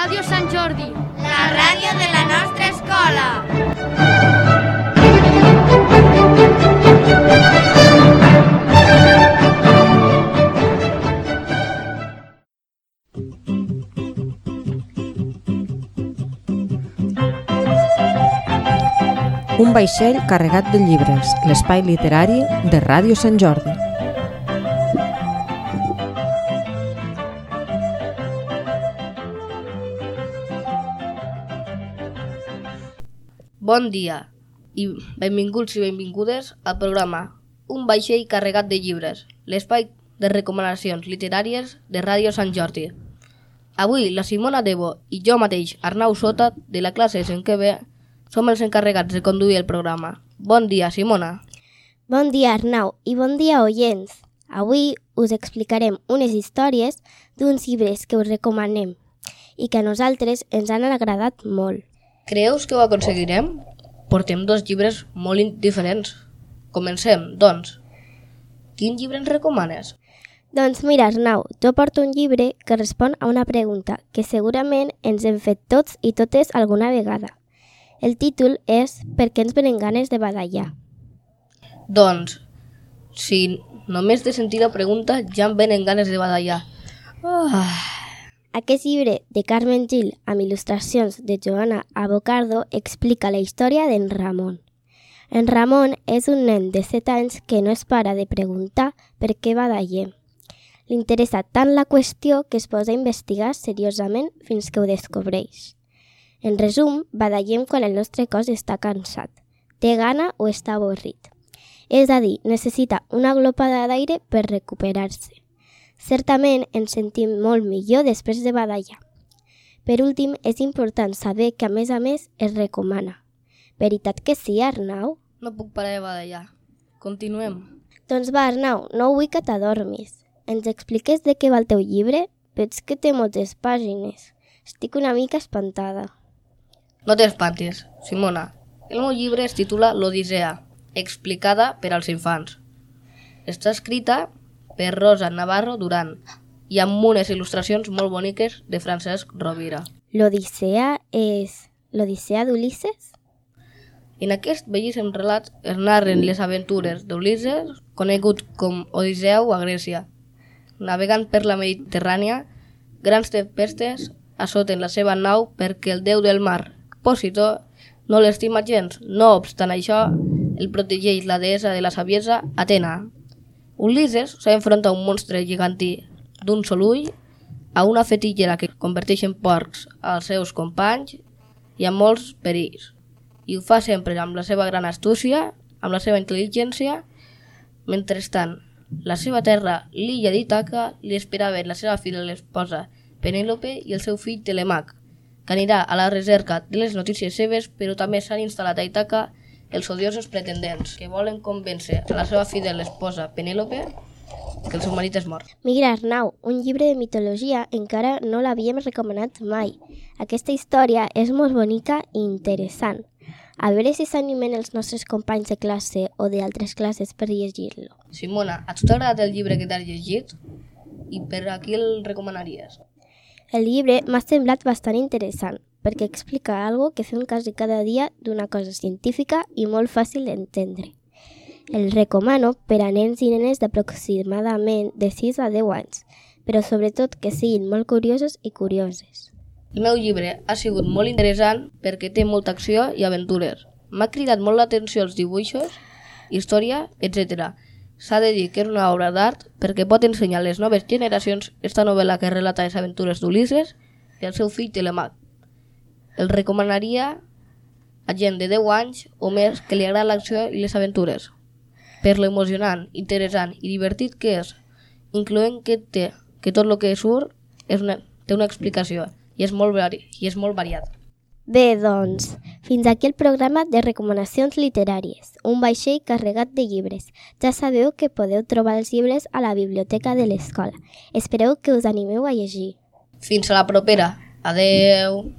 Ràdio Sant Jordi, la ràdio de la nostra escola. Un vaixell carregat de llibres, l'espai literari de Ràdio Sant Jordi. Bon dia i benvinguts i benvingudes al programa Un vaixell carregat de llibres, l'espai de recomanacions literàries de Ràdio Sant Jordi. Avui la Simona Debo i jo mateix, Arnau Sota, de la classe 5è B, som els encarregats de conduir el programa. Bon dia, Simona. Bon dia, Arnau, i bon dia, oients. Avui us explicarem unes històries d'uns llibres que us recomanem i que a nosaltres ens han agradat molt. Creus que ho aconseguirem? Portem 2 llibres molt diferents. Comencem, doncs. Quin llibre ens recomanes? Doncs mira, Arnau, jo porto un llibre que respon a una pregunta que segurament ens hem fet tots i totes alguna vegada. El títol és Per què ens venen ganes de badallar? Doncs, si només de sentir la pregunta ja em venen ganes de badallar. Aquest llibre de Carmen Gil amb il·lustracions de Joana Avocardo explica la història d'en Ramon. En Ramon és un nen de 7 anys que no es para de preguntar per què badallem. Li interessa tant la qüestió que es posa a investigar seriosament fins que ho descobreix. En resum, badallem quan el nostre cos està cansat, té gana o està avorrit. És a dir, necessita una glopada d'aire per recuperar-se. Certament ens sentim molt millor després de badallar. Per últim, és important saber que a més es recomana. Veritat que sí, Arnau? No puc parar de badallar. Continuem. Doncs va, Arnau, no vull que t'adormis. Ens expliques de què va el teu llibre? Veig que té moltes pàgines. Estic una mica espantada. No t'espantis, Simona. El meu llibre es titula L'Odissea, explicada per als infants. Està escrita per Rosa Navarro Duran i amb unes il·lustracions molt boniques de Francesc Rovira. L'Odissea és l'Odissea d'Ulisses? En aquest bellíssim relat es narren les aventures d'Ulisses, conegut com Odisseu a Grècia. Navegant per la Mediterrània, grans tempestes assoten la seva nau perquè el déu del mar, Pòsito, no l'estima gens. No obstant això, el protegeix la deessa de la saviesa, Atena. Ulisses s'enfronta a un monstre gegantí d'un sol ull, a una fetillera que converteix en porcs als seus companys i a molts perills. I ho fa sempre amb la seva gran astúcia, amb la seva intel·ligència. Mentrestant, la seva terra, l'illa d'Ítaca, li esperaven la seva fidel esposa, Penèlope, i el seu fill Telemac, que anirà a la recerca de les notícies seves, però també s'han instal·lat a Ítaca els odiosos pretendents que volen convèncer a la seva fidel esposa, Penèlope, que el seu marit és mort. Mira, Arnau, un llibre de mitologia encara no l'havíem recomanat mai. Aquesta història és molt bonica i interessant. A veure si s'animen els nostres companys de classe o d'altres classes per llegir-lo. Simona, a tu t'ha agradat el llibre que t'has llegit? I per a qui el recomanaries? El llibre m'ha semblat bastant interessant, perquè explica algo que fem quasi cada dia d'una cosa científica i molt fàcil d'entendre. El recomano per a nens i nenes d'aproximadament de 6 a 10 anys, però sobretot que siguin molt curiosos i curioses. El meu llibre ha sigut molt interessant perquè té molta acció i aventures. M'ha cridat molt l'atenció els dibuixos, història, etc. S'ha de dir que és una obra d'art perquè pot ensenyar a les noves generacions esta novel·la que relata les aventures d'Ulisses i el seu fill Telemac. El recomanaria a gent de 10 anys o més que li agrada l'acció i les aventures, per lo emocionant, interessant i divertit que és, incloent que tot el que surt té una explicació i és molt variat. Bé, doncs, fins aquí el programa de recomanacions literàries, un vaixell carregat de llibres. Ja sabeu que podeu trobar els llibres a la biblioteca de l'escola. Espereu que us animeu a llegir. Fins a la propera. Adeu!